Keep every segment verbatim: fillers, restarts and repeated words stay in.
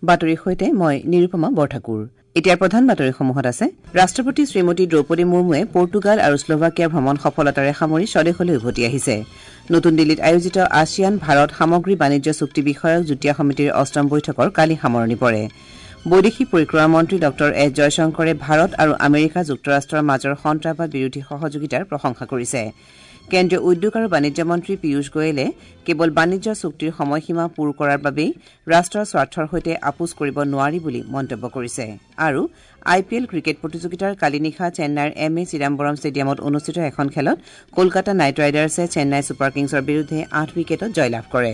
বাতৰিৰ সৈতে মই নিৰুপমা বৰঠাকুৰ। এতিয়াৰ প্ৰধান বাতৰিসমূহত আছে ৰাষ্ট্ৰপতি শ্ৰীমতী দ্ৰৌপদী মুৰ্মুৱে পৰ্তুগাল আৰু শ্লোভাকিয়া ভ্ৰমণ সফলতাৰে সামৰি স্বদেশলৈ উভতি আহিছে। নতুন দিল্লীত আয়োজিত আছিয়ান ভাৰত সামগ্ৰী বাণিজ্য চুক্তি বিষয়ক যুটীয়া সমিতিৰ অষ্টম বৈঠকৰ কালি সামৰণি পৰে। বৈদেশিক পৰিক্ৰমা মন্ত্ৰী ডঃ এছ জয়শংকৰে ভাৰত আৰু আমেৰিকা যুক্তৰাষ্ট্ৰৰ মাজৰ সন্ত্ৰাসবাদ বিৰোধী সহযোগিতাৰ প্ৰশংসা কৰিছে। কেন্দ্ৰীয় উদ্যোগ আৰু বাণিজ্য মন্ত্ৰী পীয়ুষ গোৱেলে কেৱল বাণিজ্য চুক্তিৰ সময়সীমা পূৰ কৰাৰ বাবেই ৰাষ্ট্ৰৰ স্বাৰ্থৰ সৈতে আপোচ কৰিব নোৱাৰি বুলি মন্তব্য কৰিছে। আৰু আই পি এল ক্ৰিকেট প্ৰতিযোগিতাৰ কালি নিশা চেন্নাইৰ এম এ চিদাম্বৰম ষ্টেডিয়ামত অনুষ্ঠিত এখন খেলত কলকাতা নাইট ৰাইডাৰ্ছে চেন্নাই ছুপাৰ কিংছৰ বিৰুদ্ধে আঠ উইকেটত জয়লাভ কৰে।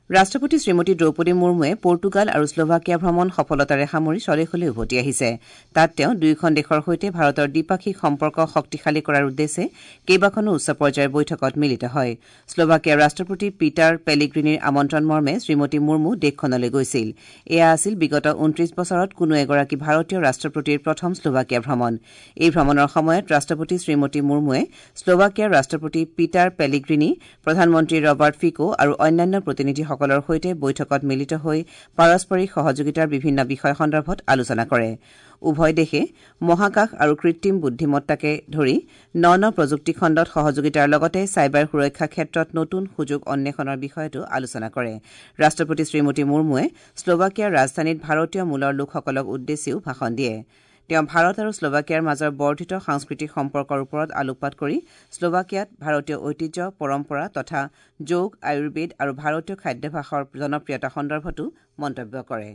ৰাষ্ট্ৰপতি শ্ৰীমতী দ্ৰৌপদী মুৰ্মুৱে পৰ্তুগাল আৰু শ্লোভাকিয়া ভ্ৰমণ সফলতাৰে সামৰি স্বদেশলৈ উভতি আহিছে। তাত তেওঁ দুয়োখন দেশৰ সৈতে ভাৰতৰ দ্বিপাক্ষিক সম্পৰ্ক শক্তিশালী কৰাৰ উদ্দেশ্যে কেইবাখনো উচ্চ পৰ্যায়ৰ বৈঠকত মিলিত হয়। শ্লোভাকিয়াৰ ৰাষ্ট্ৰপতি পিটাৰ পেলিগ্ৰিনিৰ আমন্ত্ৰণ মৰ্মে শ্ৰীমতী মুৰ্মু দেশখনলৈ গৈছিল। এয়া আছিল বিগত ঊনত্ৰিশ বছৰত কোনো এগৰাকী ভাৰতীয় ৰাষ্ট্ৰপতিৰ প্ৰথম শ্লোভাকিয়া ভ্ৰমণ। এই ভ্ৰমণৰ সময়ত ৰাষ্ট্ৰপতি শ্ৰীমতী মুৰ্মুৱে শ্লোভাকিয়াৰ ৰাষ্ট্ৰপতি পিটাৰ পেলিগ্ৰিনি, প্ৰধানমন্ত্ৰী ৰবাৰ্ট ফিকো আৰু অন্যান্য প্ৰতিনিধিসকলৰ সৈতে বৈঠকত মিলিত হৈ পাৰস্পৰিক সহযোগিতাৰ বিভিন্ন বিষয় সন্দৰ্ভত আলোচনা কৰে। উভয় দেশে মহাকাশ আৰু কৃত্ৰিম বুদ্ধিমত্তাকে ধৰি ন ন প্ৰযুক্তি খণ্ডত সহযোগিতাৰ লগতে চাইবাৰ সুৰক্ষা ক্ষেত্ৰত নতুন সুযোগ অন্বেষণৰ বিষয়তো আলোচনা কৰে। ৰাষ্ট্ৰপতি শ্ৰীমতী মুৰ্মুৱে শ্লোভাকিয়াৰ ৰাজধানীত ভাৰতীয় মূলৰ লোকসকলক উদ্দেশ্যিও ভাষণ দিয়ে। তেওঁ ভাৰত আৰু শ্লোভাকিয়াৰ মাজৰ বৰ্ধিত সাংস্কৃতিক সম্পৰ্কৰ ওপৰত আলোকপাত কৰি শ্লোভাকিয়াত ভাৰতীয় ঐতিহ্য, পৰম্পৰা তথা যোগ, আয়ুৰ্বেদ আৰু ভাৰতীয় খাদ্যাভ্যাসৰ জনপ্ৰিয়তা সন্দৰ্ভতো মন্তব্য কৰে।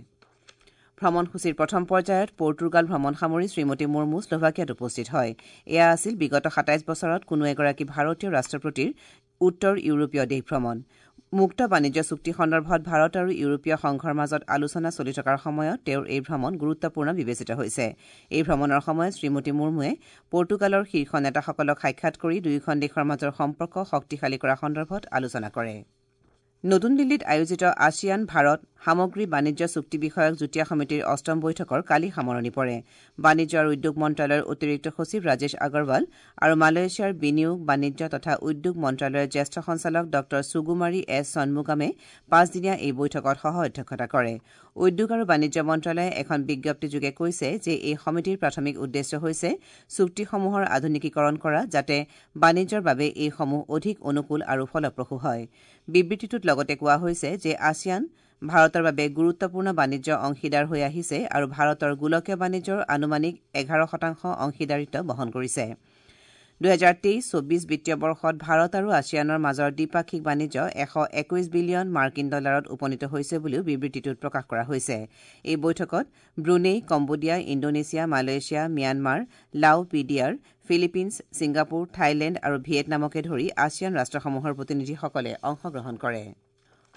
ভ্ৰমণসূচীৰ প্ৰথম পৰ্যায়ত পৰ্তুগাল ভ্ৰমণ সামৰি শ্ৰীমতী মুৰ্মু শ্লোভাকিয়াত উপস্থিত হয়। এয়া আছিল বিগত সাতাইছ বছৰত কোনো এগৰাকী ভাৰতীয় ৰাষ্ট্ৰপতিৰ উত্তৰ ইউৰোপীয় দেশ ভ্ৰমণ। মুক্ত বাণিজ্য চুক্তি সন্দৰ্ভত ভাৰত আৰু ইউৰোপীয় সংঘৰ মাজত আলোচনা চলি থকাৰ সময়ত তেওঁৰ এই ভ্ৰমণ গুৰুত্বপূৰ্ণ বিবেচিত হৈছে। এই ভ্ৰমণৰ সময়ত শ্ৰীমতী মুৰ্মুৱে পৰ্তুগালৰ শীৰ্ষ নেতাসকলক সাক্ষাৎ কৰি দুয়োখন দেশৰ মাজৰ সম্পৰ্ক শক্তিশালী কৰা সন্দৰ্ভত আলোচনা কৰে। নতুন দিল্লীত আয়োজিত আছিয়ান ভাৰত সামগ্ৰী বাণিজ্য চুক্তি বিষয়ক যুটীয়া সমিতিৰ অষ্টম বৈঠকৰ কালি সামৰণি পৰে। বাণিজ্য আৰু উদ্যোগ মন্ত্ৰালয়ৰ অতিৰিক্ত সচিব ৰাজেশ আগৰৱাল আৰু মালয়েছিয়াৰ বিনিয়োগ, বাণিজ্য তথা উদ্যোগ মন্ত্ৰালয়ৰ জ্যেষ্ঠ সঞ্চালক ডঃ সুগুমাৰী এছ সন্মুগামে পাঁচদিনীয়া এই বৈঠকত সহ অধ্যক্ষতা কৰে। উদ্যোগ আৰু বাণিজ্য মন্ত্ৰালয়ে এখন বিজ্ঞপ্তিযোগে কৈছে যে এই সমিতিৰ প্ৰাথমিক উদ্দেশ্য হৈছে চুক্তিসমূহৰ আধুনিকীকৰণ কৰা, যাতে বাণিজ্যৰ বাবে এইসমূহ অধিক অনুকূল আৰু ফলপ্ৰসূ হয়। বিবৃতিটোত লগতে কোৱা হৈছে যে আছিয়ান ভাৰতৰ বাবে গুৰুত্বপূৰ্ণ বাণিজ্য অংশীদাৰ হৈ আহিছে আৰু ভাৰতৰ গোলকীয় বাণিজ্যৰ আনুমানিক এঘাৰ শতাংশ অংশীদাৰিত্ব বহন কৰিছে। দুহেজাৰ তেইছ চৌবিছ বিত্তীয় বৰ্ষত ভাৰত আৰু আছিয়ানৰ মাজৰ দ্বিপাক্ষিক বাণিজ্য এশ একৈশ বিলিয়ন মাৰ্কিন ডলাৰত উপনীত হৈছে বুলিও বিবৃতিটোত প্ৰকাশ কৰা হৈছে। এই বৈঠকত Brunei, Cambodia, Indonesia, Malaysia, Myanmar, Lao P D R, Philippines, Singapore, Thailand আৰু ভিয়েটনামকে ধৰি আছিয়ান ৰাষ্ট্ৰসমূহৰ প্ৰতিনিধিসকলে অংশগ্ৰহণ কৰে।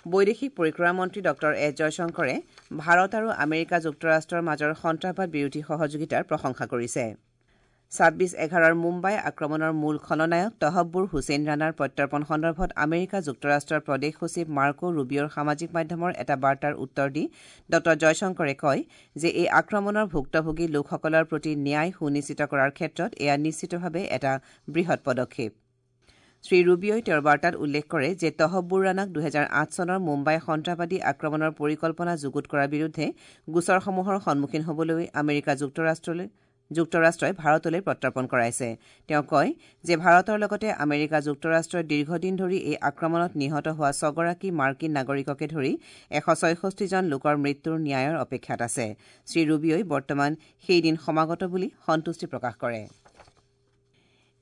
বৈদেশিক পৰিক্ৰমা মন্ত্ৰী ডঃ এছ জয়শংকৰে ভাৰত আৰু আমেৰিকা যুক্তৰাষ্ট্ৰৰ মাজৰ সন্ত্ৰাসবাদ বিৰোধী সহযোগিতাৰ প্ৰশংসা কৰিছে। ছাব্বিছ এঘাৰৰ মুম্বাই আক্ৰমণৰ মূল খলনায়ক তহব্বুৰ হুছেইন ৰাণাৰ প্ৰত্যৰ্পণ সন্দৰ্ভত আমেৰিকা যুক্তৰাষ্ট্ৰৰ প্ৰদেশ সচিব মাৰ্কো ৰুবিঅ'ৰ সামাজিক মাধ্যমৰ এটা বাৰ্তাৰ উত্তৰ দি ডঃ জয়শংকৰে কয় যে এই আক্ৰমণৰ ভুক্তভোগী লোকসকলৰ প্ৰতি ন্যায় সুনিশ্চিত কৰাৰ ক্ষেত্ৰত এয়া নিশ্চিতভাৱে এটা বৃহৎ পদক্ষেপ। শ্ৰী ৰুবিঅ'ই তেওঁৰ বাৰ্তাত উল্লেখ কৰে যে তহব্বুৰ ৰাণাক দুহেজাৰ আঠ চনৰ মুম্বাই সন্ত্ৰাসবাদী আক্ৰমণৰ পৰিকল্পনা যুগুত কৰাৰ বিৰুদ্ধে গোচৰসমূহৰ সন্মুখীন হ'বলৈ আমেৰিকা যুক্তৰাষ্ট্ৰলৈ যুক্তৰাষ্ট্ৰই ভাৰতলৈ প্ৰত্যৰ্পণ কৰাইছে। তেওঁ কয় যে ভাৰতৰ লগতে আমেৰিকা যুক্তৰাষ্ট্ৰই দীৰ্ঘদিন ধৰি এই আক্ৰমণত নিহত হোৱা ছগৰাকী মাৰ্কিন নাগৰিককে ধৰি এশ ছয়ষষ্ঠিজন লোকৰ মৃত্যুৰ ন্যায়ৰ অপেক্ষাত আছে। শ্ৰী ৰুবিঅ'ই বৰ্তমান সেই দিন সমাগত বুলি সন্তুষ্টি প্ৰকাশ কৰে।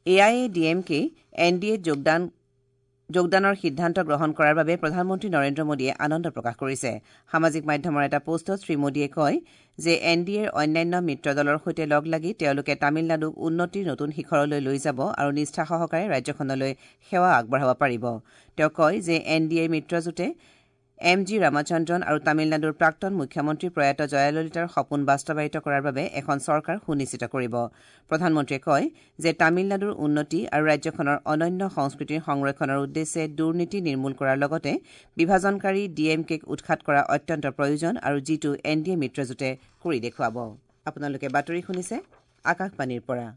A I A D M K N D এত যোগদান যোগদানৰ সিদ্ধান্ত গ্ৰহণ কৰাৰ বাবে প্ৰধানমন্ত্ৰী নৰেন্দ্ৰ মোদীয়ে আনন্দ প্ৰকাশ কৰিছে। সামাজিক মাধ্যমৰ এটা পোষ্টত শ্ৰী মোদীয়ে কয় যে এন ডি এৰ অন্যান্য মিত্ৰ দলৰ সৈতে লগ লাগি তেওঁলোকে তামিলনাডুক উন্নতিৰ নতুন শিখৰলৈ লৈ যাব আৰু নিষ্ঠা সহকাৰে ৰাজ্যখনলৈ সেৱা আগবঢ়াব পাৰিব। তেওঁ কয় যে এন ডি এৰ মিত্ৰজোঁটে এম জি ৰামচন্দ্ৰন আৰু তামিলনাডুৰ প্ৰাক্তন মুখ্যমন্ত্ৰী প্ৰয়াত জয়াললিতাৰ সপোন বাস্তৱায়িত কৰাৰ বাবে এখন চৰকাৰ সুনিশ্চিত কৰিব। প্ৰধানমন্ত্ৰীয়ে কয় যে তামিলনাডুৰ উন্নতি আৰু ৰাজ্যখনৰ অনন্য সংস্কৃতিৰ সংৰক্ষণৰ উদ্দেশ্যে দুৰ্নীতি নিৰ্মূল কৰাৰ লগতে বিভাজনকাৰী ডি এম কেক উৎখাত কৰা অত্যন্ত প্ৰয়োজন আৰু যিটো এন ডি এ মিত্ৰজোঁটে কৰি দেখুৱাব। আপোনালোকে বাতৰি শুনিছে আকাশবাণীৰ পৰা।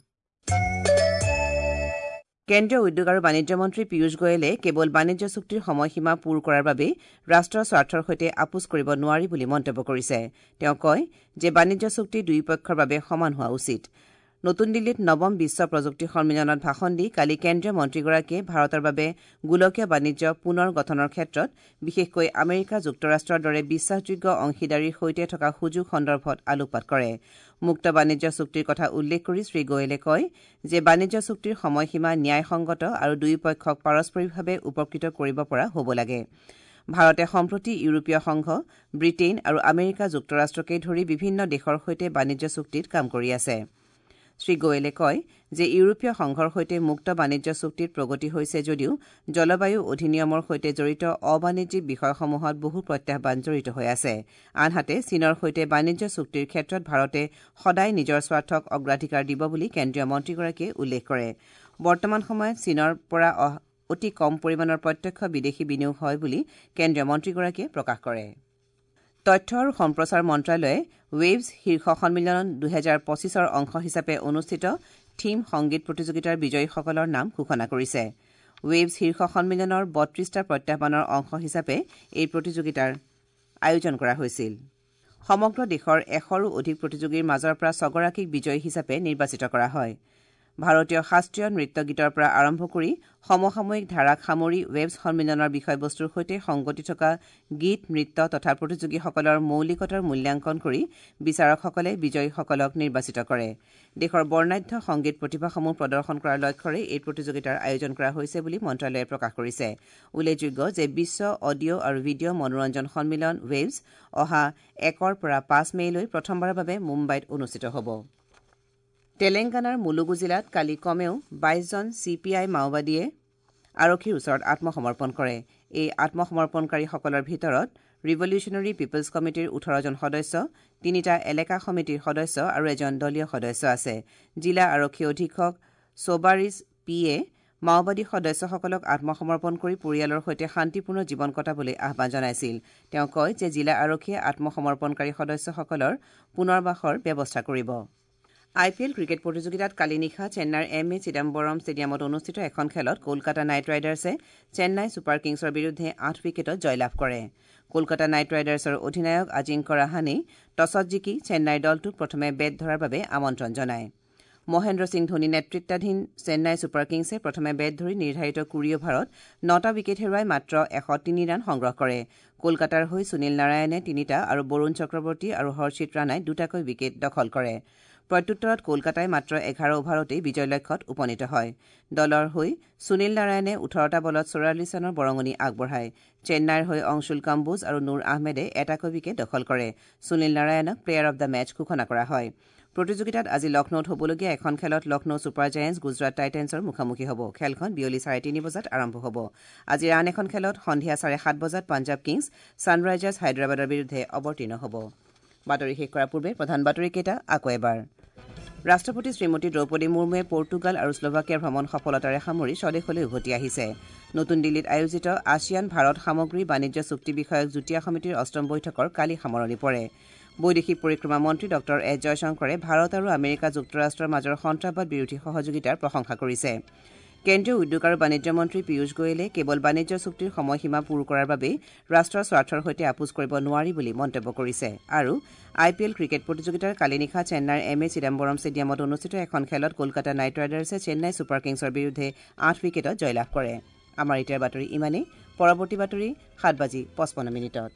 কেন্দ্ৰীয় উদ্যোগ আৰু বাণিজ্য মন্ত্ৰী পীয়ুষ গোৱেলে কেৱল বাণিজ্য চুক্তিৰ সময়সীমা পূৰ কৰাৰ বাবেই ৰাষ্ট্ৰৰ স্বাৰ্থৰ সৈতে আপোচ কৰিব নোৱাৰি বুলি মন্তব্য কৰিছে। তেওঁ কয় যে বাণিজ্য চুক্তি দুয়োপক্ষৰ বাবে সমান হোৱা উচিত। নতুন দিল্লীত নৱম বিশ্ব প্ৰযুক্তি সন্মিলনত ভাষণ দি কালি কেন্দ্ৰীয় মন্ত্ৰীগৰাকীয়ে ভাৰতৰ বাবে গোলকীয় বাণিজ্য পুনৰ গঠনৰ ক্ষেত্ৰত বিশেষকৈ আমেৰিকা যুক্তৰাষ্ট্ৰৰ দৰে বিশ্বাসযোগ্য অংশীদাৰীৰ সৈতে থকা সুযোগ সন্দৰ্ভত আলোকপাত কৰে। মুক্ত বাণিজ্য চুক্তিৰ কথা উল্লেখ কৰি শ্ৰীগোৱেলে কয় যে বাণিজ্য চুক্তিৰ সময়সীমা ন্যায়সংগত আৰু দুয়োপক্ষক পাৰস্পৰিকভাৱে উপকৃত কৰিব পৰা হ'ব লাগে। ভাৰতে সম্প্ৰতি ইউৰোপীয় সংঘ, ব্ৰিটেইন আৰু আমেৰিকা যুক্তৰাষ্ট্ৰকে ধৰি বিভিন্ন দেশৰ সৈতে বাণিজ্য চুক্তিত কাম কৰি আছে। শ্ৰীগোৱেলে কয় যে ইউৰোপীয় সংঘৰ সৈতে মুক্ত বাণিজ্য চুক্তিত প্ৰগতি হৈছে যদিও জলবায়ু অধিনিয়মৰ সৈতে জড়িত অবাণিজ্যিক বিষয়সমূহত বহু প্ৰত্যাহ্বান জড়িত হৈ আছে। আনহাতে চীনৰ সৈতে বাণিজ্য চুক্তিৰ ক্ষেত্ৰত ভাৰতে সদায় নিজৰ স্বাৰ্থক অগ্ৰাধিকাৰ দিব বুলি কেন্দ্ৰীয় মন্ত্ৰীগৰাকীয়ে উল্লেখ কৰে। বৰ্তমান সময়ত চীনৰ পৰা অতি কম পৰিমাণৰ প্ৰত্যক্ষ বিদেশী বিনিয়োগ হয় বুলি কেন্দ্ৰীয় মন্ত্ৰীগৰাকীয়ে প্ৰকাশ কৰে। তথ্য আৰু সম্প্ৰচাৰ মন্ত্ৰালয়ে ৱেভছ শীৰ্ষ সন্মিলন দুহেজাৰ পঁচিছৰ অংশ হিচাপে অনুষ্ঠিত থীম সংগীত প্ৰতিযোগিতাৰ বিজয়ীসকলৰ নাম ঘোষণা কৰিছে। ৱেভছ শীৰ্ষ সন্মিলনৰ বত্ৰিশটা প্ৰত্যাহ্বানৰ অংশ হিচাপে এই প্ৰতিযোগিতাৰ আয়োজন কৰা হৈছিল। সমগ্ৰ দেশৰ এশৰো অধিক প্ৰতিযোগীৰ মাজৰ পৰা ছগৰাকীক বিজয়ী হিচাপে নিৰ্বাচিত কৰা হয়। ভাৰতীয় শাস্ত্ৰীয় নৃত্য গীতৰ পৰা আৰম্ভ কৰি সমসাময়িক ধাৰাক সামৰি ৱেভছ সন্মিলনৰ বিষয়বস্তুৰ সৈতে সংগতি থকা গীত, নৃত্য তথা প্ৰতিযোগীসকলৰ মৌলিকতাৰ মূল্যাংকন কৰি বিচাৰকসকলে বিজয়ীসকলক নিৰ্বাচিত কৰে। দেশৰ বৰ্ণাঢ্য সংগীত প্ৰতিভাসমূহ প্ৰদৰ্শন কৰাৰ লক্ষ্যৰে এই প্ৰতিযোগিতাৰ আয়োজন কৰা হৈছে বুলি মন্ত্ৰালয়ে প্ৰকাশ কৰিছে। উল্লেখযোগ্য যে বিশ্ব অডিঅ' আৰু ভিডিঅ' মনোৰঞ্জন সন্মিলন ৱেভছ অহা একৰ পৰা পাঁচ মে'লৈ প্ৰথমবাৰৰ বাবে মুম্বাইত অনুষ্ঠিত হ'ব। তেলেংগানাৰ মুলুগু জিলাত কালি কমেও বাইশজন চি পি আই মাওবাদীয়ে আৰক্ষীৰ ওচৰত আত্মসমৰ্পণ কৰে। এই আত্মসমৰ্পণকাৰীসকলৰ ভিতৰত ৰিভলিউচনেৰী পিপলছ কমিটিৰ ওঠৰজন সদস্য, তিনিটা এলেকা সমিতিৰ সদস্য আৰু এজন দলীয় সদস্য আছে। জিলা আৰক্ষী অধীক্ষক সোবাৰিছ পি এ মাওবাদী সদস্যসকলক আত্মসমৰ্পণ কৰি পৰিয়ালৰ সৈতে শান্তিপূৰ্ণ জীৱন কটাবলৈ আহ্বান জনাইছিল। তেওঁ কয় যে জিলা আৰক্ষীয়ে আত্মসমৰ্পণকাৰী সদস্যসকলৰ পুনৰ্বাসৰ ব্যৱস্থা কৰিব। আই পি এল ক্ৰিকেট প্ৰতিযোগিতাত কালি নিশা চেন্নাইৰ এম এ চিদাম্বৰম ষ্টেডিয়ামত অনুষ্ঠিত এখন খেলত কলকাতা নাইট ৰাইডাৰ্ছে চেন্নাই ছুপাৰ কিংছৰ বিৰুদ্ধে আঠ উইকেটত জয়লাভ কৰে। কলকাতা নাইট ৰাইডাৰ্ছৰ অধিনায়ক আজিংক্য ৰাহানেই টছত জিকি চেন্নাইৰ দলটোক প্ৰথমে বেট ধৰাৰ বাবে আমন্ত্ৰণ জনায়। মহেন্দ্ৰ সিং ধোনী নেতৃত্বাধীন চেন্নাই ছুপাৰ কিংছে প্ৰথমে বেট ধৰি নিৰ্ধাৰিত কুৰি অভাৰত নটা উইকেট হেৰুৱাই মাত্ৰ এশ তিনি ৰান সংগ্ৰহ কৰে। কলকাতাৰ হৈ সুনীল নাৰায়ণে তিনিটা আৰু বৰুণ চক্ৰৱৰ্তী আৰু হৰ্ষিত ৰাণাই দুটাকৈ উইকেট দখল কৰে। প্ৰত্যুত্তৰত কলকাতাই মাত্ৰ এঘাৰ অভাৰতেই বিজয় লক্ষ্যত উপনীত হয়। দলৰ হৈ সুনীল নাৰায়ণে ওঠৰটা বলত চৌৰাল্লিছ ৰানৰ বৰঙণি আগবঢ়ায়। চেন্নাইৰ হৈ অংশুল কাম্বোজ আৰু নুৰ আহমেদে এটাকৈ উইকেট দখল কৰে। সুনীল নাৰায়ণক প্লেয়াৰ অব the match ঘোষণা কৰা হয়। প্ৰতিযোগিতাত আজি লক্ষ্ণৌত হ'বলগীয়া এখন খেলত লক্ষ্ণৌ ছুপাৰ জায়েণ্টছ গুজৰাট টাইটেন্সৰ মুখামুখি হ'ব। খেলখন বিয়লি চাৰে তিনি বজাত আৰম্ভ হ'ব। আজিৰ আন এখন খেলত সন্ধিয়া চাৰে সাত বজাত পাঞ্জাৱ কিংছ ছানৰাইজাৰ্ছ হায়দৰাবাদৰ বিৰুদ্ধে অৱতীৰ্ণ হ'ব। বাতৰি শেষ কৰাৰ পূৰ্বে প্ৰধান বাতৰিকেইটা আকৌ এবাৰ। ৰাষ্ট্ৰপতি শ্ৰীমতী দ্ৰৌপদী মুৰ্মুৱে পৰ্তুগাল আৰু শ্লোভাকিয়াৰ ভ্ৰমণ সফলতাৰে সামৰি স্বদেশলৈ উভতি আহিছে। নতুন দিল্লীত আয়োজিত আছিয়ান ভাৰত সামগ্ৰী বাণিজ্য চুক্তি বিষয়ক যুটীয়া সমিতিৰ অষ্টম বৈঠকৰ কালি সামৰণি পৰে। বৈদেশিক পৰিক্ৰমা মন্ত্ৰী ডঃ এছ জয়শংকৰে ভাৰত আৰু আমেৰিকা যুক্তৰাষ্ট্ৰৰ মাজৰ সন্ত্ৰাসবাদ বিৰোধী সহযোগিতাৰ প্ৰশংসা কৰিছে। কেন্দ্ৰীয় উদ্যোগ আৰু বাণিজ্য মন্ত্ৰী পীয়ুষ গোৱেলে কেৱল বাণিজ্য চুক্তিৰ সময়সীমা পূৰ কৰাৰ বাবেই ৰাষ্ট্ৰৰ স্বাৰ্থৰ সৈতে আপোচ কৰিব নোৱাৰি বুলি মন্তব্য কৰিছে। আৰু আই পি এল ক্ৰিকেট প্ৰতিযোগিতাৰ কালি নিশা চেন্নাইৰ এম এ চিদাম্বৰম ষ্টেডিয়ামত অনুষ্ঠিত এখন খেলত কলকাতা নাইট ৰাইডাৰ্ছে চেন্নাই ছুপাৰ কিংছৰ বিৰুদ্ধে আঠ উইকেটত জয়লাভ কৰে। আমাৰ এতিয়াৰ বাতৰি ইমানেই। পৰৱৰ্তী বাতৰি সাত বাজি পঁচপন্ন মিনিটত।